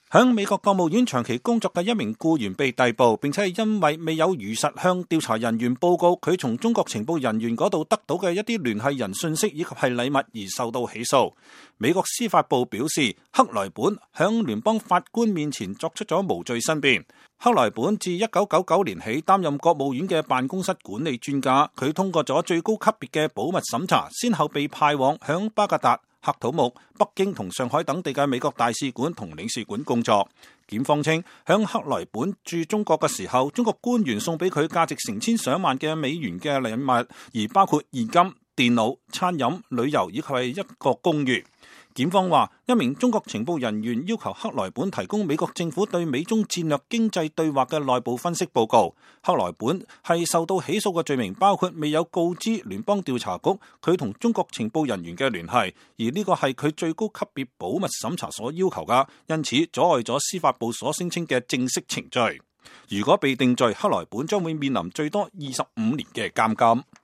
響美國國務院長期工作嘅一名僱員被逮捕，並且係因為未有如實向調查人員報告佢從中國情報人員嗰度得到嘅一啲聯繫人信息以及係禮物而受到起訴。美國司法部表示，克萊本響聯邦法官面前作出咗無罪申辯。克萊本自1999年起擔任國務院嘅辦公室管理專家，佢通過咗最高級別嘅保密審查，先後被派往響巴格達、喀土穆、北京同上海等地嘅美國大使館同領事館工作。檢方稱，響克萊本駐中國嘅時候，中國官員送俾佢價值成千上萬嘅美元嘅禮物，而包括現金、電腦、餐飲、旅遊以及係一個公寓。檢方話，一名中國情報人員要求克萊本提供美國政府對美中戰略經濟對話嘅內部分析報告。克萊本係受到起訴嘅罪名包括未有告知聯邦調查局佢同中國情報人員嘅聯繫，而呢個係佢最高級別保密審查所要求噶，因此阻礙咗司法部所聲稱嘅正式程序。如果被定罪，克萊本將會面臨最多25年嘅監禁。